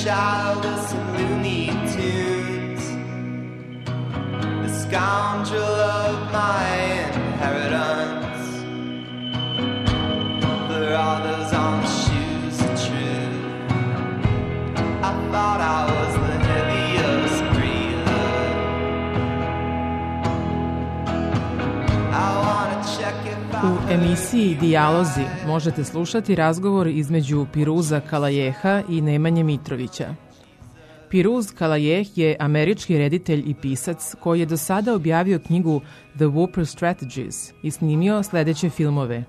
child of some Looney Tunes, the scoundrel of my inheritance. For all those on the shoes of truth, I thought I was the heaviest breather. I wanna check if U emisiji Dijalozi možete slušati razgovor između Piruza Kalajeha i Nemanje Mitrovića. Piruz Kalajeh je američki reditelj i pisac koji je do sada objavio knjigu The Whooper Strategies i snimio sledeće filmove: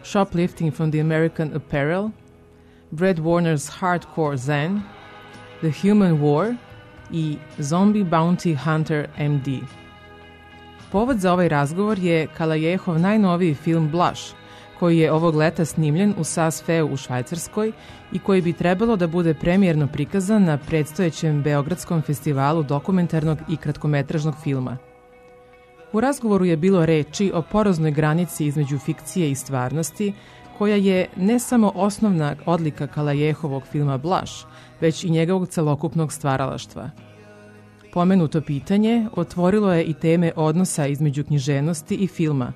Shoplifting from the American Apparel, Brad Warner's Hardcore Zen, The Human War i Zombie Bounty Hunter MD. Povod za ovaj razgovor je Kalajehov najnoviji film Blush, koji je ovog leta snimljen u Saas-Feu u Švajcarskoj i koji bi trebalo da bude premijerno prikazan na predstojećem Beogradskom festivalu dokumentarnog i kratkometražnog filma. U razgovoru je bilo reči o poroznoj granici između fikcije i stvarnosti, koja je ne samo osnovna odlika Kalajehovog filma Blush, već i njegovog celokupnog stvaralaštva. Pomenuto pitanje otvorilo je i teme odnosa između književnosti i filma,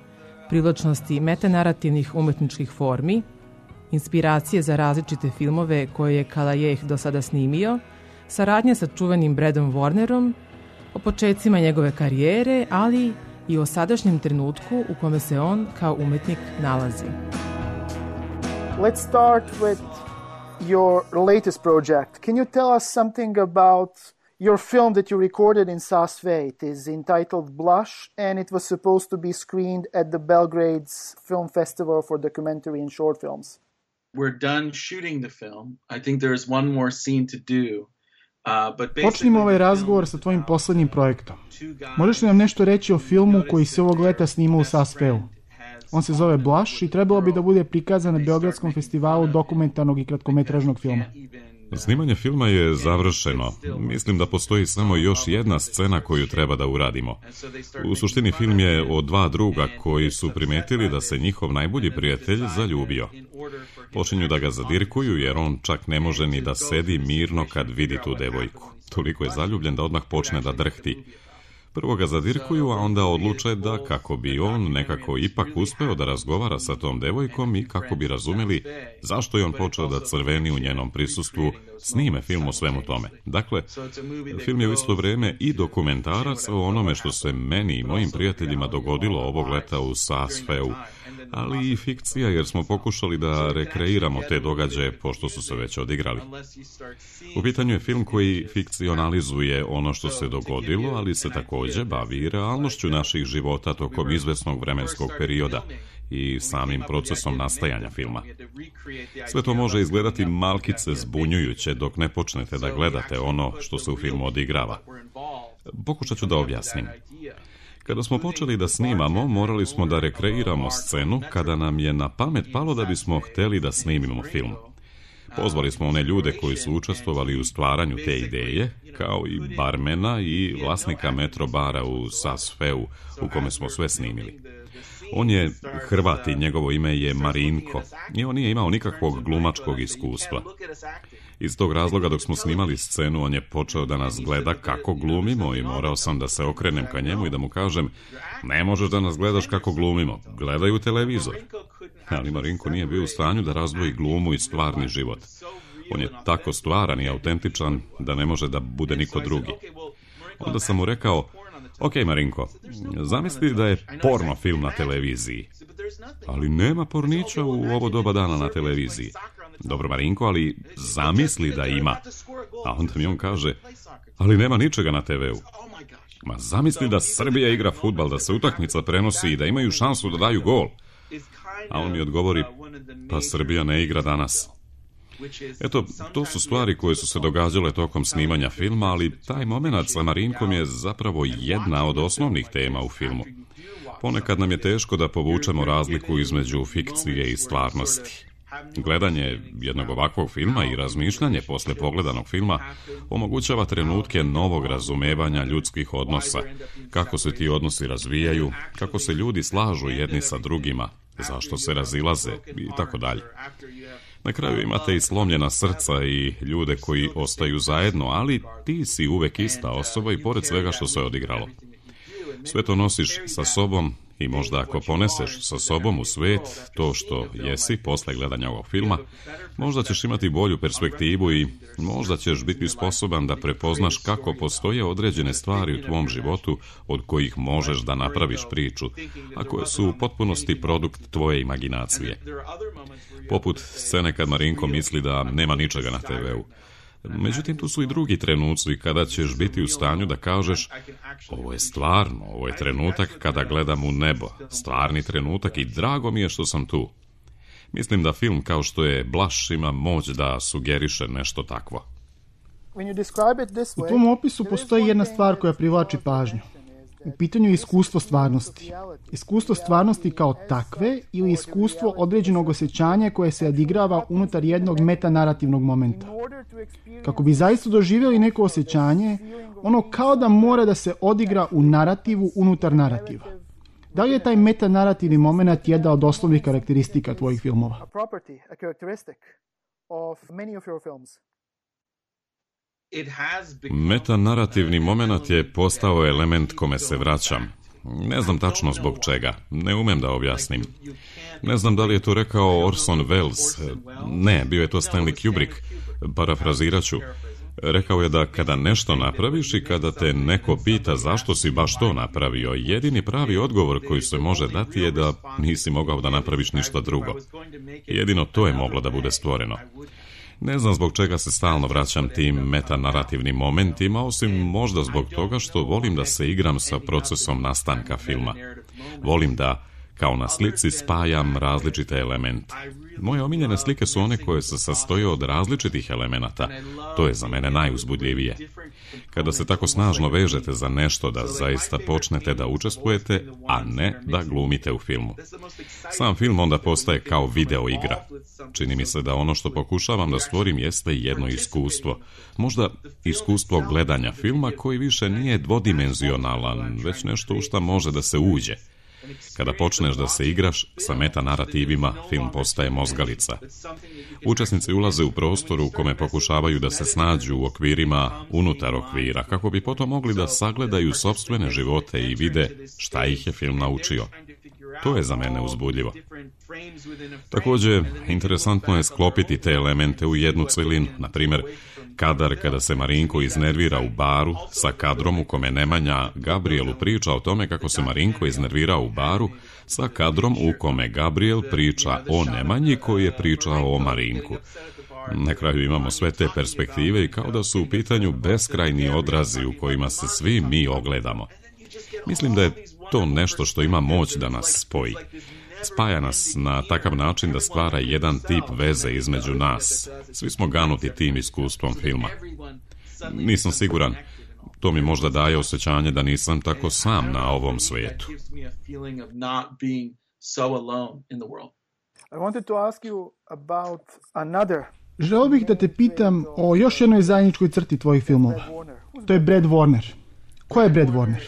privlačnosti metanarativnih umetničkih formi, inspiracije za različite filmove koje je Kalajeh do sada snimio, saradnje sa čuvenim Bradom Warnerom, o početcima njegove karijere, ali i o sadašnjem trenutku u kome se on kao umetnik nalazi. Let's start with your latest project. Can you tell us something about your film that you recorded in Saas-Feu? It is entitled Blush, and it was supposed to be screened at the Belgrade's Film Festival for Documentary and Short Films. We're done shooting the film. I think there's one more scene to do. Počnimo ovaj razgovor sa tvojim poslednjim projektom. Možeš li nam nešto reći o filmu koji se ovog leta snima u Saas-Feu? On se zove Blush i trebalo bi da bude prikazan na Beogradskom festivalu dokumentarnog i kratkometražnog filma. Snimanje filma je završeno. Mislim da postoji samo još jedna scena koju treba da uradimo. U suštini film je o dva druga koji su primetili da se njihov najbolji prijatelj zaljubio. Počinju da ga zadirkuju jer on čak ne može ni da sedi mirno kad vidi tu devojku. Toliko je zaljubljen da odmah počne da drhti. Prvo ga zadirkuju, a onda odluče da kako bi on nekako ipak uspeo da razgovara sa tom devojkom i kako bi razumeli zašto je on počeo da crveni u njenom prisustvu, snime film o svemu tome. Dakle, film je u isto vreme i dokumentarac o onome što se meni i mojim prijateljima dogodilo ovog leta u Saas-Feu, ali i fikcija jer smo pokušali da rekreiramo te događaje pošto su se već odigrali. U pitanju je film koji fikcionalizuje ono što se dogodilo, ali se takođe bavi realnošću naših života tokom izvesnog vremenskog perioda i samim procesom nastajanja filma. Sve to može izgledati malkice zbunjujuće dok ne počnete da gledate ono što se u filmu odigrava. Pokušat ću da objasnim. Kada smo počeli da snimamo, morali smo da rekreiramo scenu kada nam je na pamet palo da bismo hteli da snimimo film. Pozvali smo one ljude koji su učestvovali u stvaranju te ideje, kao i barmena i vlasnika metro bara u Saas-Feu, u kome smo sve snimili. On je Hrvat i njegovo ime je Marinko i on nije imao nikakvog glumačkog iskustva. Iz tog razloga dok smo snimali scenu on je počeo da nas gleda kako glumimo i morao sam da se okrenem ka njemu i da mu kažem ne možeš da nas gledaš kako glumimo, gledaj u televizor. Ali Marinko nije bio u stanju da razdvoji glumu i stvarni život. On je tako stvaran i autentičan da ne može da bude niko drugi. Onda sam mu rekao, ok Marinko, zamisli da je porno film na televiziji. Ali nema pornića u ovo doba dana na televiziji. Dobro Marinko, ali zamisli da ima. A onda mi on kaže, ali nema ničega na TV-u. Ma zamisli da Srbija igra fudbal, da se utakmica prenosi i da imaju šansu da daju gol. A on mi odgovori, pa Srbija ne igra danas. Eto, to su stvari koje su se događale tokom snimanja filma, ali taj moment sa Marinkom je zapravo jedna od osnovnih tema u filmu. Ponekad nam je teško da povučemo razliku između fikcije i stvarnosti. Gledanje jednog ovakvog filma i razmišljanje posle pogledanog filma omogućava trenutke novog razumevanja ljudskih odnosa, kako se ti odnosi razvijaju, kako se ljudi slažu jedni sa drugima, zašto se razilaze i tako dalje. Na kraju imate i slomljena srca i ljude koji ostaju zajedno, ali ti si uvek ista osoba i pored svega što se odigralo. Sve to nosiš sa sobom i možda ako poneseš sa sobom u svet to što jesi posle gledanja ovog filma, možda ćeš imati bolju perspektivu i možda ćeš biti sposoban da prepoznaš kako postoje određene stvari u tvom životu od kojih možeš da napraviš priču, a koje su u potpunosti produkt tvoje imaginacije. Poput scene kad Marinko misli da nema ničega na TV-u. Međutim, tu su i drugi trenuci kada ćeš biti u stanju da kažeš ovo je stvarno, ovo je trenutak kada gledam u nebo, stvarni trenutak i drago mi je što sam tu. Mislim da film kao što je Blush ima moć da sugeriše nešto takvo. U tom opisu postoji jedna stvar koja privlači pažnju. U pitanju je iskustvo stvarnosti. Iskustvo stvarnosti kao takve ili iskustvo određenog osjećanja koje se odigrava unutar jednog metanarativnog momenta. Kako bi zaista doživjeli neko osjećanje, ono kao da mora da se odigra u narativu unutar narativa. Da li je taj metanarativni moment jedna od osnovnih karakteristika tvojih filmova? Metanarativni moment je postao element kome se vraćam. Ne znam tačno zbog čega, ne umem da objasnim. Ne znam da li je to rekao Orson Welles, ne, bio je to Stanley Kubrick, parafrazirat ću. Rekao je da kada nešto napraviš i kada te neko pita zašto si baš to napravio, jedini pravi odgovor koji se može dati je da nisi mogao da napraviš ništa drugo. Jedino to je moglo da bude stvoreno. Ne znam zbog čega se stalno vraćam tim metanarativnim momentima, osim možda zbog toga što volim da se igram sa procesom nastanka filma. Volim da, kao na slici, spajam različite elemente. Moje omiljene slike su one koje se sastoje od različitih elemenata. To je za mene najuzbudljivije. Kada se tako snažno vežete za nešto da zaista počnete da učestvujete, a ne da glumite u filmu. Sam film onda postaje kao video igra. Čini mi se da ono što pokušavam da stvorim jeste jedno iskustvo. Možda iskustvo gledanja filma koji više nije dvodimenzionalan, već nešto u šta može da se uđe. Kada počneš da se igraš sa metanarativima, film postaje mozgalica. Učesnici ulaze u prostor u kome pokušavaju da se snađu u okvirima unutar okvira, kako bi potom mogli da sagledaju sopstvene živote i vide šta ih je film naučio. To je za mene uzbudljivo. Također, interesantno je sklopiti te elemente u jednu celinu, na primjer, kadar kada se Marinko iznervira u baru sa kadrom u kome Nemanja Gabrielu priča o tome kako se Marinko iznervirao u baru sa kadrom u kome Gabriel priča o Nemanji koji je pričao o Marinku. Na kraju imamo sve te perspektive i kao da su u pitanju beskrajni odrazi u kojima se svi mi ogledamo. Mislim da je to nešto što ima moć da nas spoji. Spaja nas na takav način da stvara jedan tip veze između nas. Svi smo ganuti tim iskustvom filma. Nisam siguran. To mi možda daje osjećanje da nisam tako sam na ovom svijetu. Želio bih da te pitam o još jednoj zajedničkoj crti tvojih filmova. To je Brad Warner. Ko je Brad Warner?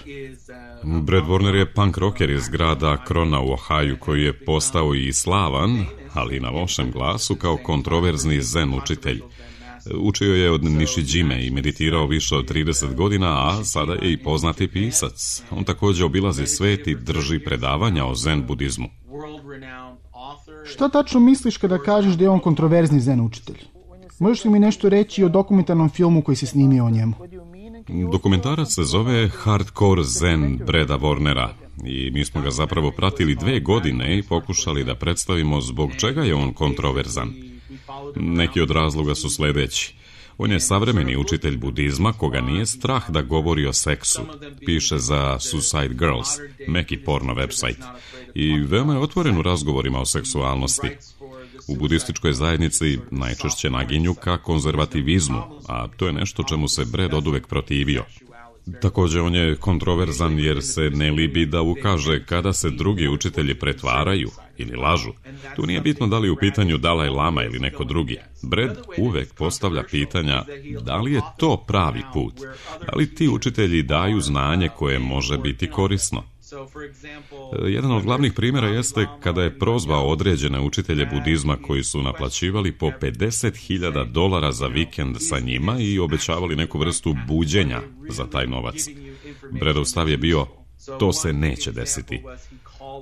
Brad Warner je punk rocker iz grada Krona u Ohaju koji je postao i slavan, ali na lošem glasu, kao kontroverzni zen učitelj. Učio je od Nishijime i meditirao više od 30 godina, a sada je i poznati pisac. On također obilazi svet i drži predavanja o zen budizmu. Šta tačno misliš kada kažeš da je on kontroverzni zen učitelj? Možeš li mi nešto reći o dokumentarnom filmu koji si snimio o njemu? Dokumentarac se zove Hardcore Zen Brada Warnera i mi smo ga zapravo pratili 2 godine i pokušali da predstavimo zbog čega je on kontroverzan. Neki od razloga su sljedeći. On je savremeni učitelj budizma koga nije strah da govori o seksu. Piše za Suicide Girls, meki porno website, i veoma je otvoren u razgovorima o seksualnosti. U budističkoj zajednici najčešće naginju ka konzervativizmu, a to je nešto čemu se Brad oduvek protivio. Također on je kontroverzan jer se ne libi da ukaže kada se drugi učitelji pretvaraju ili lažu. Tu nije bitno da li je u pitanju Dalaj Lama ili neko drugi. Brad uvek postavlja pitanja da li je to pravi put, da li ti učitelji daju znanje koje može biti korisno. Jedan od glavnih primjera jeste kada je prozvao određene učitelje budizma koji su naplaćivali po $50,000 za vikend sa njima i obećavali neku vrstu buđenja za taj novac. Bredov stav je bio: to se neće desiti.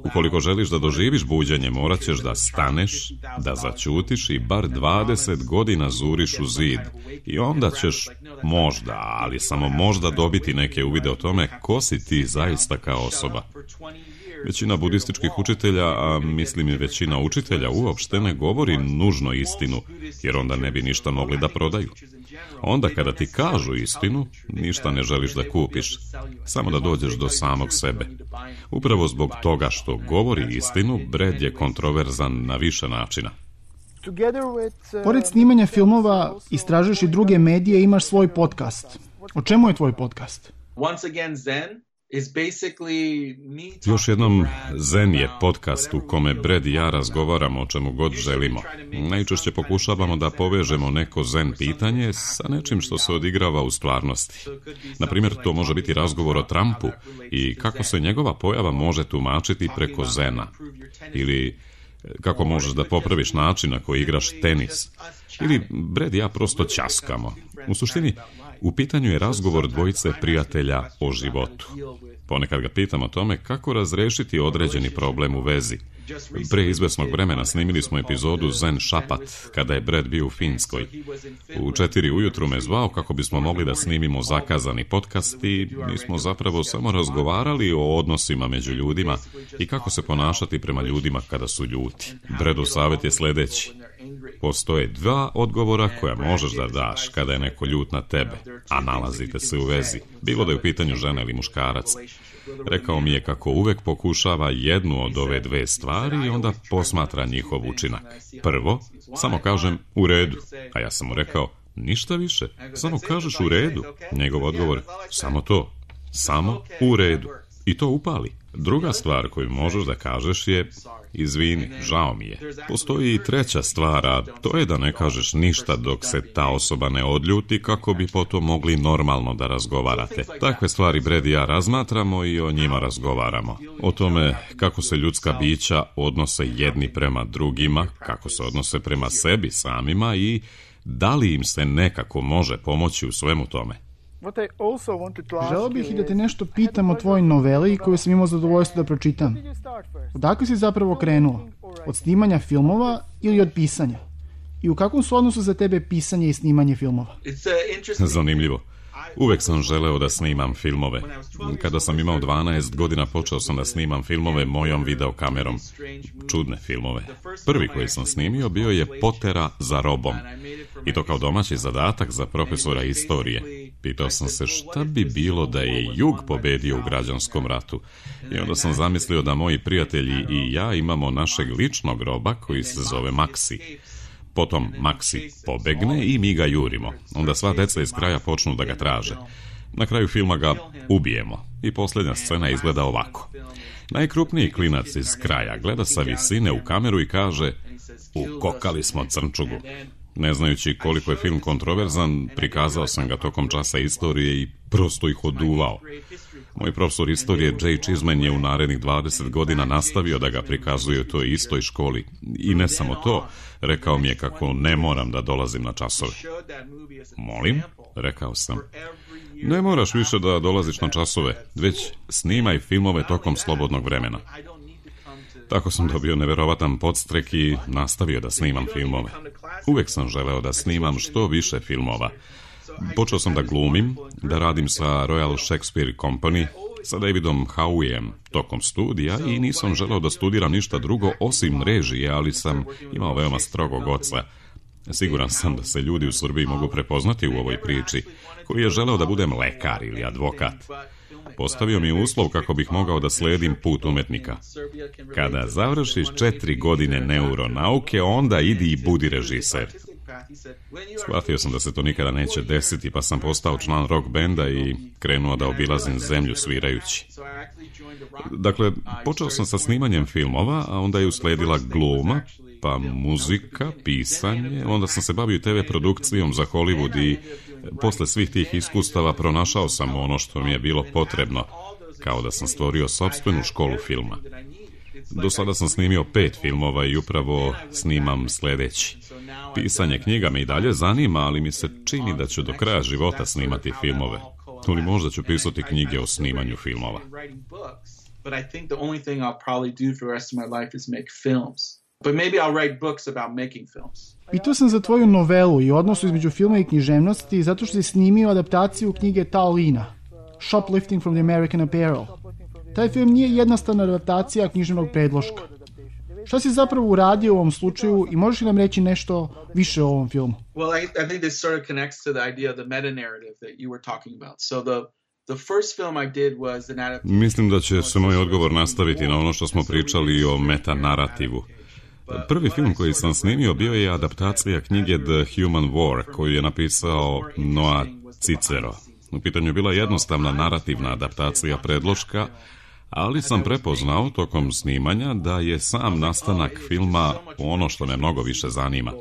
Ukoliko želiš da doživiš buđenje, morat ćeš da staneš, da zaćutiš i bar 20 godina zuriš u zid. I onda ćeš možda, ali samo možda, dobiti neke uvide o tome ko si ti zaista kao osoba. Većina budističkih učitelja, a mislim i većina učitelja, uopšte ne govori nužno istinu, jer onda ne bi ništa mogli da prodaju. Onda kada ti kažu istinu, ništa ne želiš da kupiš, samo da dođeš do samog sebe. Upravo zbog toga što govori istinu, Brad je kontroverzan na više načina. Pored snimanja filmova, istražuješ i druge medije i imaš svoj podcast. O čemu je tvoj podcast? Još jednom, Zen je podcast u kome Brad i ja razgovaramo o čemu god želimo. Najčešće pokušavamo da povežemo neko Zen pitanje sa nečim što se odigrava u stvarnosti. Naprimjer, to može biti razgovor o Trumpu i kako se njegova pojava može tumačiti preko Zena. Ili kako možeš da popraviš način na koji igraš tenis. Ili Brad i ja prosto ćaskamo. U suštini, u pitanju je razgovor dvojice prijatelja o životu. Ponekad ga pitam o tome kako razrešiti određeni problem u vezi. Pre izvesnog vremena snimili smo epizodu Zen Šapat, kada je Brad bio u Finskoj. U 4 ujutru me zvao kako bismo mogli da snimimo zakazani podcast i mi smo zapravo samo razgovarali o odnosima među ljudima i kako se ponašati prema ljudima kada su ljuti. Bradov savjet je sledeći: postoje 2 odgovora koja možeš da daš kada je neko ljut na tebe, a nalazite se u vezi, bilo da je u pitanju žena ili muškarac. Rekao mi je kako uvek pokušava jednu od ove 2 stvari i onda posmatra njihov učinak. Prvo, samo kažem u redu, a ja sam mu rekao ništa više, samo kažeš u redu. Njegov odgovor: samo to, samo u redu. I to upali. Druga stvar koju možeš da kažeš je: izvini, žao mi je. Postoji i 3. stvar, a to je da ne kažeš ništa dok se ta osoba ne odljuti, kako bi potom mogli normalno da razgovarate. Takve stvari Brad i ja razmatramo i o njima razgovaramo. O tome kako se ljudska bića odnose jedni prema drugima, kako se odnose prema sebi samima i da li im se nekako može pomoći u svemu tome. Želeo bih i da te nešto pitam o tvojoj noveli koju sam imao zadovoljstvo da pročitam. Odakle si zapravo krenuo? Od snimanja filmova ili od pisanja? I u kakvom su odnosu za tebe pisanje i snimanje filmova? Zanimljivo. Uvek sam želeo da snimam filmove. Kada sam imao 12 godina počeo sam da snimam filmove mojom videokamerom. Čudne filmove. Prvi koji sam snimio bio je Potera za robom. I to kao domaći zadatak za profesora istorije. Pitao sam se šta bi bilo da je Jug pobedio u građanskom ratu. I onda sam zamislio da moji prijatelji i ja imamo našeg ličnog roba koji se zove Maksi. Potom Maksi pobegne i mi ga jurimo. Onda sva deca iz kraja počnu da ga traže. Na kraju filma ga ubijemo. I posljednja scena izgleda ovako. Najkrupniji klinac iz kraja gleda sa visine u kameru i kaže: ukokali smo crnčugu. Ne znajući koliko je film kontroverzan, prikazao sam ga tokom časa istorije i prosto ih oduvao. Moj profesor istorije Jay Chisman je u narednih 20 godina nastavio da ga prikazuje u toj istoj školi. I ne samo to, rekao mi je kako ne moram da dolazim na časove. Molim, rekao sam. Ne moraš više da dolaziš na časove, već snimaj filmove tokom slobodnog vremena. Tako sam dobio neverovatan podstrek i nastavio da snimam filmove. Uvek sam želeo da snimam što više filmova. Počeo sam da glumim, da radim sa Royal Shakespeare Company, sa Davidom Howeyem tokom studija i nisam želeo da studiram ništa drugo osim režije, ali sam imao veoma strogog oca. Siguran sam da se ljudi u Srbiji mogu prepoznati u ovoj priči, koji je želeo da budem lekar ili advokat. Postavio mi je uslov kako bih mogao da sledim put umetnika. Kada završiš 4 godine neuronauke, onda idi i budi režiser. Shvatio sam da se to nikada neće desiti, pa sam postao član rock benda i krenuo da obilazim zemlju svirajući. Dakle, počeo sam sa snimanjem filmova, a onda je usledila gluma, pa muzika, pisanje, onda sam se bavio TV produkcijom za Hollywood i posle svih tih iskustava pronašao sam ono što mi je bilo potrebno. kao da sam stvorio sopstvenu školu filma. Do sada sam snimio 5 filmova i upravo snimam sljedeći. Pisanje knjiga me i dalje zanima, ali mi se čini da ću do kraja života snimati filmove. Ili možda ću pisati knjige o snimanju filmova. But I think the only thing I'll probably do for the rest of my life is make films. But maybe I'll write books about making films. Pitao sam za tvoju novelu i odnosu između filma i književnosti zato što si snimio adaptaciju knjige Tao Lina, Shoplifting from the American Apparel. Taj film nije jednostavna adaptacija književnog predloška. Šta si zapravo uradio u ovom slučaju i možeš li nam reći nešto više o ovom filmu? Well, I think this sort of connects to the idea of the meta-narrative that you were talking about. So the first film I did was an adaptation. Mislim da će se moj odgovor nastaviti na ono što smo pričali o meta-narativu. Prvi film koji sam snimio bio je adaptacija knjige The Human War, koju je napisao Noah Cicero. U pitanju je bila jednostavna narativna adaptacija predloška, ali sam prepoznao tokom snimanja da je sam nastanak filma ono što me mnogo više zanima.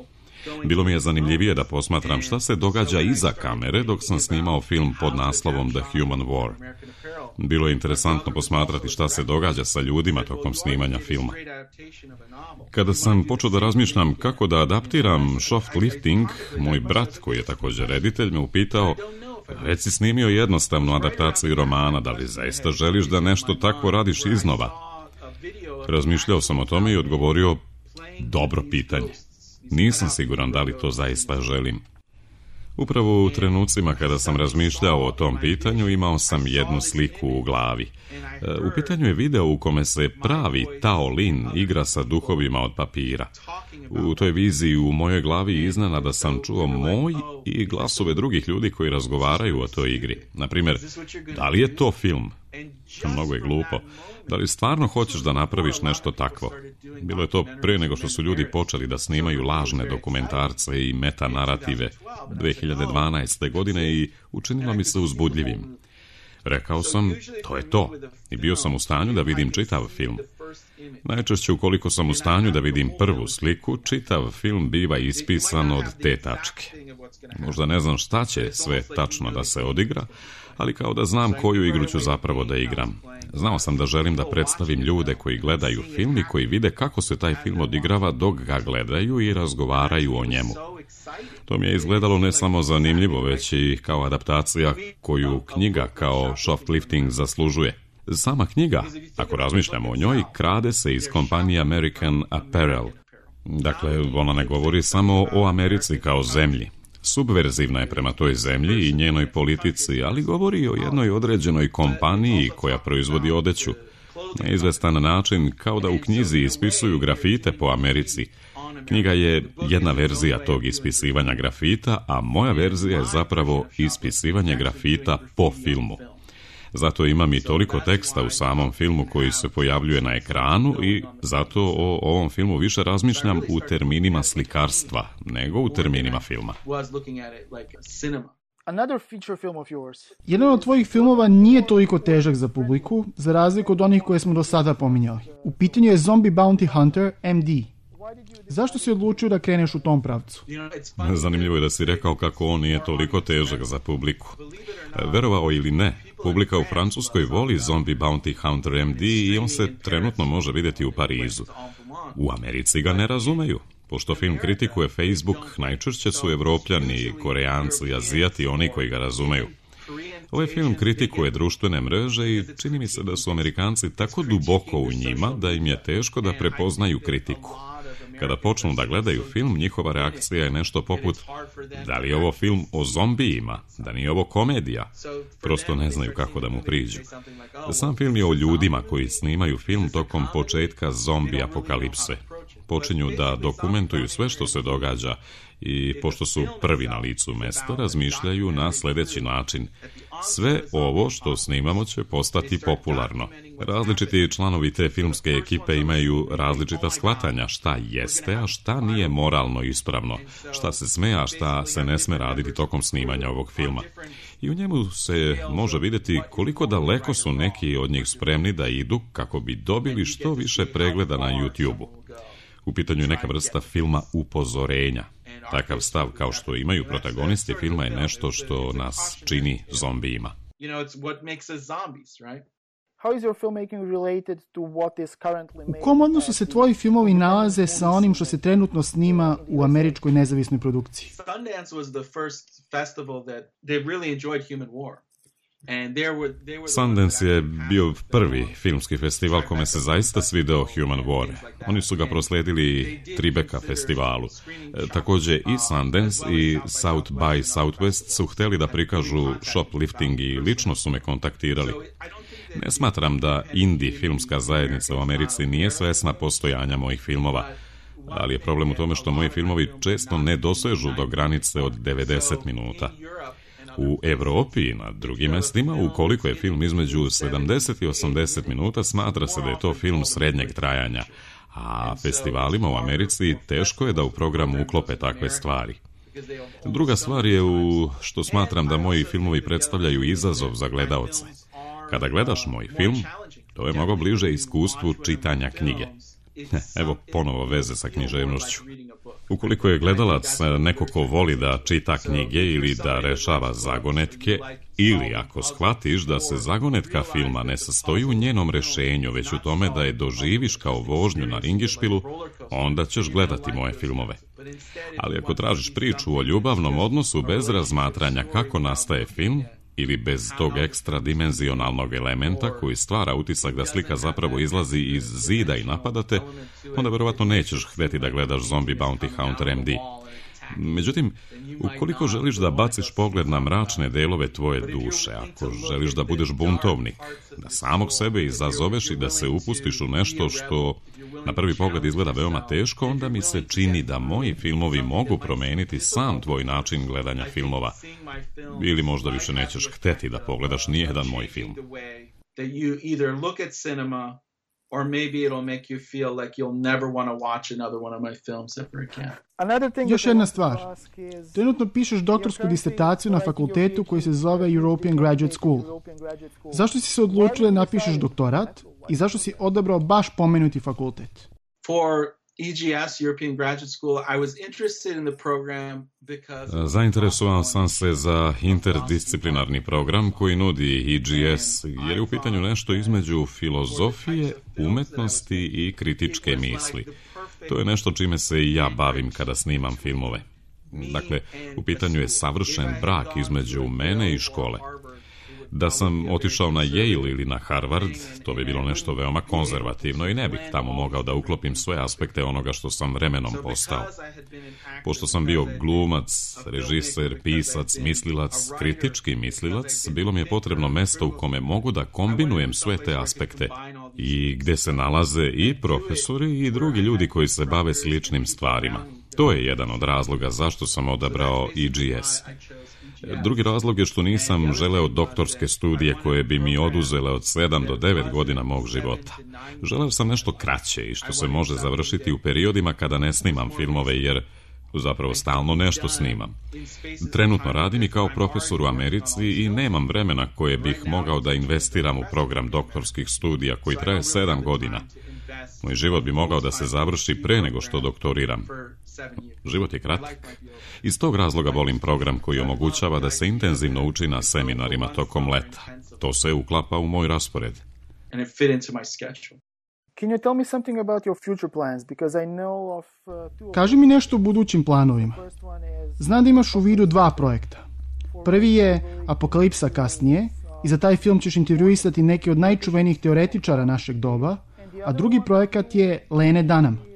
Bilo mi je zanimljivije da posmatram šta se događa iza kamere dok sam snimao film pod naslovom The Human War. Bilo je interesantno posmatrati šta se događa sa ljudima tokom snimanja filma. Kada sam počeo da razmišljam kako da adaptiram Shoplifting, moj brat, koji je također reditelj, me upitao: već si snimio jednostavnu adaptaciju romana, da li zaista želiš da nešto takvo radiš iznova? Razmišljao sam o tome i odgovorio: dobro pitanje. Nisam siguran da li to zaista želim. Upravo u trenucima kada sam razmišljao o tom pitanju, imao sam jednu sliku u glavi. U pitanju je video u kome se pravi Tao Lin igra sa duhovima od papira. U toj viziji u mojoj glavi iznenada sam čuo moj i glasove drugih ljudi koji razgovaraju o toj igri. Naprimjer, da li je to film? Mnogo je glupo. Da li stvarno hoćeš da napraviš nešto takvo? Bilo je to pre nego što su ljudi počeli da snimaju lažne dokumentarce i metanarative 2012. godine i učinilo mi se uzbudljivim. Rekao sam, to je to. I bio sam u stanju da vidim čitav film. Najčešće ukoliko sam u stanju da vidim prvu sliku, čitav film biva ispisan od te tačke. Možda ne znam šta će sve tačno da se odigra, ali kao da znam koju igru ću zapravo da igram. Znao sam da želim da predstavim ljude koji gledaju film i koji vide kako se taj film odigrava dok ga gledaju i razgovaraju o njemu. To mi je izgledalo ne samo zanimljivo, već i kao adaptacija koju knjiga kao Shoplifting zaslužuje. Sama knjiga, ako razmišljamo o njoj, krade se iz kompanije American Apparel. Dakle, ona ne govori samo o Americi kao zemlji. Subverzivna je prema toj zemlji i njenoj politici, ali govori o jednoj određenoj kompaniji koja proizvodi odeću. Na izvestan način, kao da u knjizi ispisuju grafite po Americi. Knjiga je jedna verzija tog ispisivanja grafita, a moja verzija je zapravo ispisivanje grafita po filmu. Zato imam i toliko teksta u samom filmu koji se pojavljuje na ekranu i zato o ovom filmu više razmišljam u terminima slikarstva nego u terminima filma. Jedan od tvojih filmova nije toliko težak za publiku, za razliku od onih koje smo do sada pominjali. U pitanju je Zombie Bounty Hunter MD. Zašto si odlučio da kreneš u tom pravcu? Zanimljivo je da si rekao kako on nije toliko težak za publiku. Verovao ili ne, publika u Francuskoj voli Zombie Bounty Hunter MD i on se trenutno može vidjeti u Parizu. U Americi ga ne razumeju. Pošto film kritikuje Facebook, najčešće su Evropljani, Koreanci, Azijati oni koji ga razumeju. Ovaj film kritikuje društvene mreže i čini mi se da su Amerikanci tako duboko u njima da im je teško da prepoznaju kritiku. Kada počnu da gledaju film, njihova reakcija je nešto poput: da li je ovo film o zombijima, da nije ovo komedija? Prosto ne znaju kako da mu priđu. Sam film je o ljudima koji snimaju film tokom početka zombi apokalipse. Počinju da dokumentuju sve što se događa i pošto su prvi na licu mesta, razmišljaju na sljedeći način: sve ovo što snimamo će postati popularno. Različiti članovi te filmske ekipe imaju različita shvatanja šta jeste, a šta nije moralno ispravno, šta se sme, a šta se ne sme raditi tokom snimanja ovog filma. I u njemu se može vidjeti koliko daleko su neki od njih spremni da idu kako bi dobili što više pregleda na YouTube-u. U pitanju je neka vrsta filma upozorenja. Takav stav kao što imaju protagonisti filma je nešto što nas čini zombijima. U kom odnosu se tvoji filmovi nalaze sa onim što se trenutno snima u američkoj nezavisnoj produkciji? Sundance was the first festival that they really enjoyed Human War. Sundance je bio prvi filmski festival kome se zaista svideo Human War. Oni su ga proslijedili Tribeca festivalu. Također i Sundance i South by Southwest su htjeli da prikažu shoplifting i lično su me kontaktirali. Ne smatram da indie filmska zajednica u Americi nije svesna postojanja mojih filmova, ali je problem u tome što moji filmovi često ne dosežu do granice od 90 minuta. U Evropi i na drugim mestima, ukoliko je film između 70 i 80 minuta, smatra se da je to film srednjeg trajanja, a festivalima u Americi teško je da u programu uklope takve stvari. Druga stvar je što smatram da moji filmovi predstavljaju izazov za gledaoce. Kada gledaš moj film, to je mnogo bliže iskustvu čitanja knjige. Evo ponovo veze sa književnošću. Ukoliko je gledalac neko ko voli da čita knjige ili da rešava zagonetke, ili ako shvatiš da se zagonetka filma ne sastoji u njenom rešenju, već u tome da je doživiš kao vožnju na ringišpilu, onda ćeš gledati moje filmove. Ali ako tražiš priču o ljubavnom odnosu bez razmatranja kako nastaje film, ili bez tog ekstra dimenzionalnog elementa koji stvara utisak da slika zapravo izlazi iz zida i napadate, onda verovatno nećeš hteti da gledaš Zombie Bounty Hunter MD. Međutim, ukoliko želiš da baciš pogled na mračne delove tvoje duše, ako želiš da budeš buntovnik, da samog sebe izazoveš i da se upustiš u nešto što na prvi pogled izgleda veoma teško, onda mi se čini da moji filmovi mogu promeniti sam tvoj način gledanja filmova. Ili možda više nećeš hteti da pogledaš nijedan moj film. Or maybe it'll make you feel like you'll never want to watch another one of my films ever again. Još jedna stvar. Trenutno pišeš doktorsku disertaciju na fakultetu koji se zove European Graduate School. Zašto si se odlučio da napišeš doktorat i zašto si odabrao baš pomenuti fakultet? For EGS, European Graduate School, I was interested in the program because... Zainteresovan sam se za interdisciplinarni program koji nudi EGS, jer je u pitanju nešto između filozofije, umetnosti i kritičke misli. To je nešto čime se i ja bavim kada snimam filmove. Dakle, u pitanju je savršen brak između mene i škole. Da sam otišao na Yale ili na Harvard, to bi bilo nešto veoma konzervativno i ne bih tamo mogao da uklopim sve aspekte onoga što sam vremenom postao. Pošto sam bio glumac, režiser, pisac, mislilac, kritički mislilac, bilo mi je potrebno mesto u kome mogu da kombinujem sve te aspekte i gde se nalaze i profesori i drugi ljudi koji se bave sličnim stvarima. To je jedan od razloga zašto sam odabrao EGS. Drugi razlog je što nisam želeo doktorske studije koje bi mi oduzele od 7 do 9 godina mog života. Želeo sam nešto kraće i što se može završiti u periodima kada ne snimam filmove, jer zapravo stalno nešto snimam. Trenutno radim i kao profesor u Americi i nemam vremena koje bih mogao da investiram u program doktorskih studija koji traje 7 godina. Moj život bi mogao da se završi pre nego što doktoriram. Život je kratak. Iz tog razloga volim program koji omogućava da se intenzivno uči na seminarima tokom leta. To se uklapa u moj raspored. Kaži mi nešto o budućim planovima. Znam da imaš u vidu 2 projekta. Prvi je Apokalipsa kasnije i za taj film ćeš intervjuisati neke od najčuvenijih teoretičara našeg doba, a drugi projekat je Lene Dunham.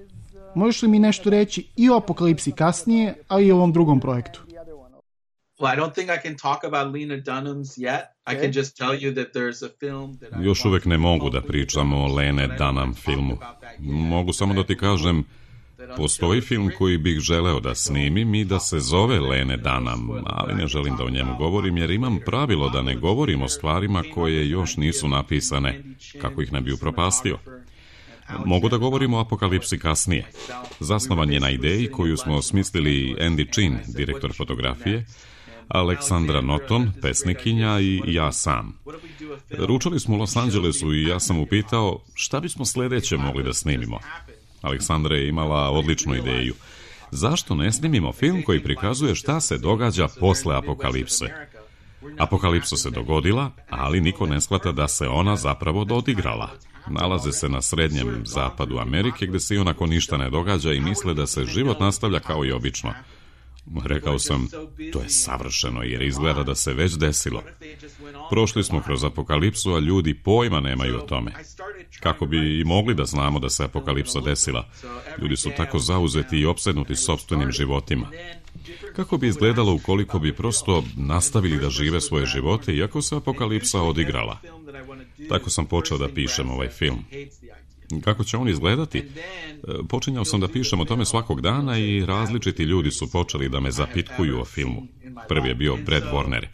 Možeš li mi nešto reći i o Apokalipsi kasnije, a i o ovom drugom projektu? Još uvek ne mogu da pričam o Lene Dunham filmu. Mogu samo da ti kažem, postoji film koji bih želeo da snimim i da se zove Lene Dunham, ali ne želim da o njemu govorim jer imam pravilo da ne govorim o stvarima koje još nisu napisane, kako ih ne bi upropastio. Mogu da govorimo o Apokalipsi kasnije. Zasnovan je na ideji koju smo osmislili Andy Chin, direktor fotografije, Aleksandra Norton, pesnikinja i ja sam. Ručali smo u Los Angelesu i ja sam upitao šta bismo sljedeće mogli da snimimo. Aleksandra je imala odličnu ideju. Zašto ne snimimo film koji prikazuje šta se događa posle apokalipse? Apokalipsa se dogodila, ali niko ne shvata da se ona zapravo odigrala. Nalaze se na srednjem zapadu Amerike gdje se ionako ništa ne događa i misle da se život nastavlja kao i obično. Rekao sam, to je savršeno jer izgleda da se već desilo. Prošli smo kroz apokalipsu, a ljudi pojma nemaju o tome. Kako bi i mogli da znamo da se apokalipsa desila? Ljudi su tako zauzeti i opsednuti sopstvenim životima. Kako bi izgledalo ukoliko bi prosto nastavili da žive svoje živote iako se apokalipsa odigrala? Tako sam počeo da pišem ovaj film. Kako će on izgledati? Počinjao sam da pišem o tome svakog dana i različiti ljudi su počeli da me zapitkuju o filmu. Prvi je bio Brad Warner.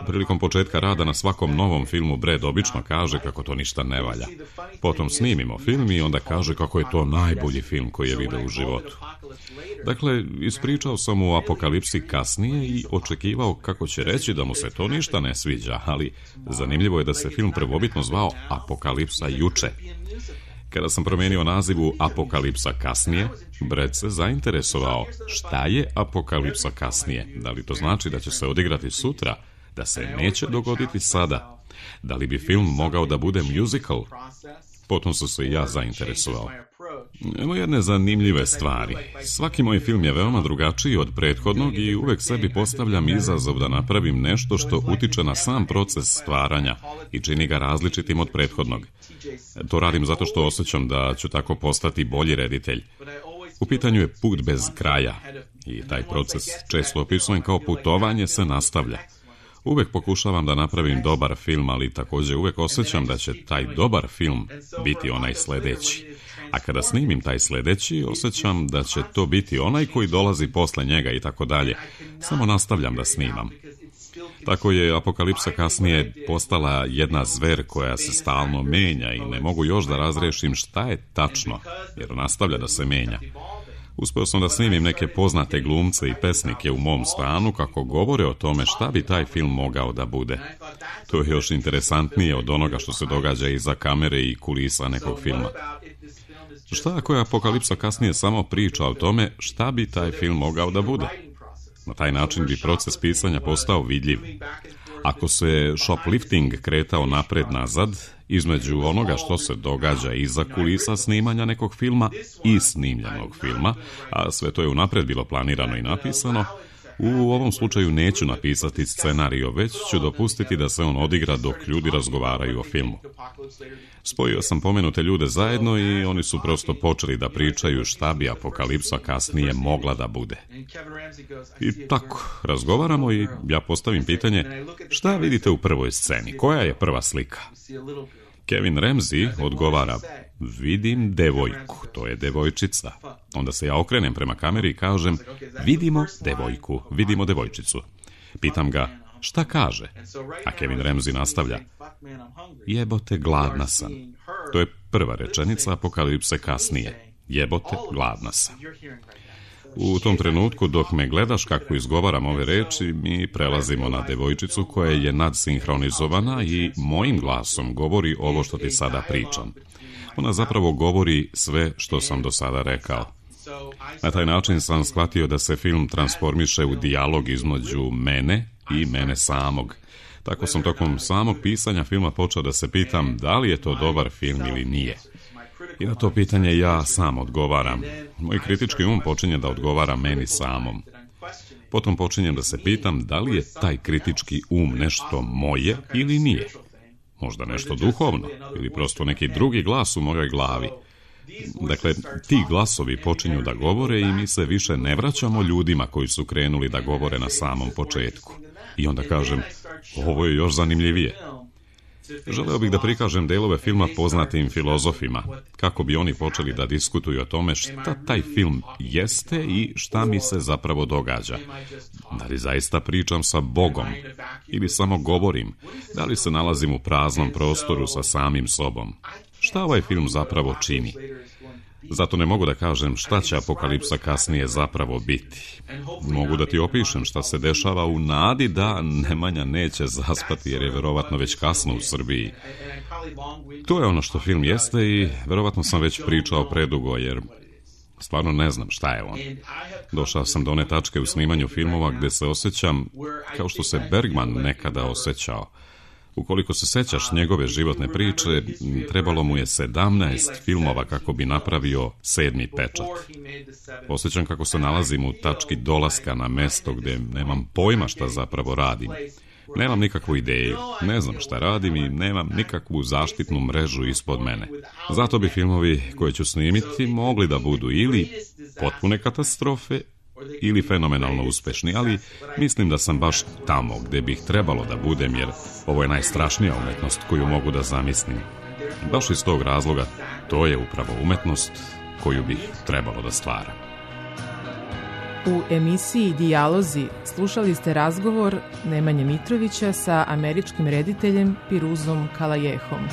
Prilikom početka rada na svakom novom filmu Brad obično kaže kako to ništa ne valja. Potom snimimo film i onda kaže kako je to najbolji film koji je video u životu. Dakle, ispričao sam mu o apokalipsi kasnije i očekivao kako će reći da mu se to ništa ne sviđa, ali zanimljivo je da se film prvobitno zvao Apokalipsa juče. Kada sam promijenio naziv u Apokalipsa kasnije, Brad se zainteresovao šta je Apokalipsa kasnije. Da li to znači da će se odigrati sutra, da se neće dogoditi sada? Da li bi film mogao da bude musical? Potom su se i ja zainteresovao. Evo jedne zanimljive stvari. Svaki moj film je veoma drugačiji od prethodnog i uvek sebi postavljam izazov da napravim nešto što utiče na sam proces stvaranja i čini ga različitim od prethodnog. To radim zato što osjećam da ću tako postati bolji reditelj. U pitanju je put bez kraja i taj proces često opisujem kao putovanje se nastavlja. Uvek pokušavam da napravim dobar film, ali također uvek osjećam da će taj dobar film biti onaj sledeći. A kada snimim taj sledeći, osjećam da će to biti onaj koji dolazi posle njega i tako dalje. Samo nastavljam da snimam. Tako je Apokalipsa kasnije postala jedna zver koja se stalno menja i ne mogu još da razrešim šta je tačno, jer nastavlja da se menja. Uspeo sam da snimim neke poznate glumce i pesnike u mom stanu kako govore o tome šta bi taj film mogao da bude. To je još interesantnije od onoga što se događa iza kamere i kulisa nekog filma. Šta ako je Apokalipsa kasnije samo priča o tome šta bi taj film mogao da bude? Na taj način bi proces pisanja postao vidljiv. Ako se shoplifting kretao napred-nazad, između onoga što se događa iza kulisa snimanja nekog filma i snimljenog filma, a sve to je unapred bilo planirano i napisano, u ovom slučaju neću napisati scenario, već ću dopustiti da se on odigra dok ljudi razgovaraju o filmu. Spojio sam pomenute ljude zajedno i oni su prosto počeli da pričaju šta bi Apokalipsa kasnije mogla da bude. I tako, razgovaramo i ja postavim pitanje, šta vidite u prvoj sceni? Koja je prva slika? Kevin Ramsey odgovara, vidim devojku, to je devojčica. Onda se ja okrenem prema kameri i kažem, vidimo devojku, vidimo devojčicu. Pitam ga, šta kaže? A Kevin Ramsey nastavlja, jebote, gladna sam. To je prva rečenica Apokalipse kasnije. Jebote, gladna sam. U tom trenutku, dok me gledaš kako izgovaram ove reči, mi prelazimo na devojčicu koja je nadsinhronizovana i mojim glasom govori ovo što ti sada pričam. Ona zapravo govori sve što sam do sada rekao. Na taj način sam shvatio da se film transformiše u dijalog između mene i mene samog. Tako sam tokom samog pisanja filma počeo da se pitam da li je to dobar film ili nije. I na to pitanje ja sam odgovaram. Moj kritički počinje da odgovara meni samom. Potom počinjem da se pitam da li je taj kritički nešto moje ili nije. Možda nešto duhovno ili prosto neki drugi glas u mojoj glavi. Dakle, ti glasovi počinju da govore i mi se više ne vraćamo ljudima koji su krenuli da govore na samom početku. I onda kažem, ovo je još zanimljivije. Želeo bih da prikažem delove filma poznatim filozofima, kako bi oni počeli da diskutuju o tome šta taj film jeste i šta mi se zapravo događa. Da li zaista pričam sa Bogom ili samo govorim? Da li se nalazim u praznom prostoru sa samim sobom? Šta ovaj film zapravo čini? Zato ne mogu da kažem šta će Apokalipsa kasnije zapravo biti. Mogu da ti opišem šta se dešava u nadi da Nemanja neće zaspati jer je verovatno već kasno u Srbiji. To je ono što film jeste i verovatno sam već pričao predugo jer Stvarno ne znam šta je on. Došao sam do one tačke u snimanju filmova gde se osjećam kao što se Bergman nekada osjećao. Ukoliko se sećaš njegove životne priče, trebalo mu je 17 filmova kako bi napravio 7. pečat. Osjećam kako se nalazim u tački dolaska na mesto gde nemam pojma šta zapravo radim. Nemam nikakvu ideju, ne znam šta radim i nemam nikakvu zaštitnu mrežu ispod mene. Zato bi filmovi koje ću snimiti mogli da budu ili potpune katastrofe ili fenomenalno uspešni, ali mislim da sam baš tamo gde bih trebalo da budem, jer ovo je najstrašnija umetnost koju mogu da zamislim. Baš iz tog razloga to je upravo umetnost koju bih trebalo da stvaram. U emisiji Dijalozi slušali ste razgovor Nemanje Mitrovića sa američkim rediteljem Piruzom Kalajehom.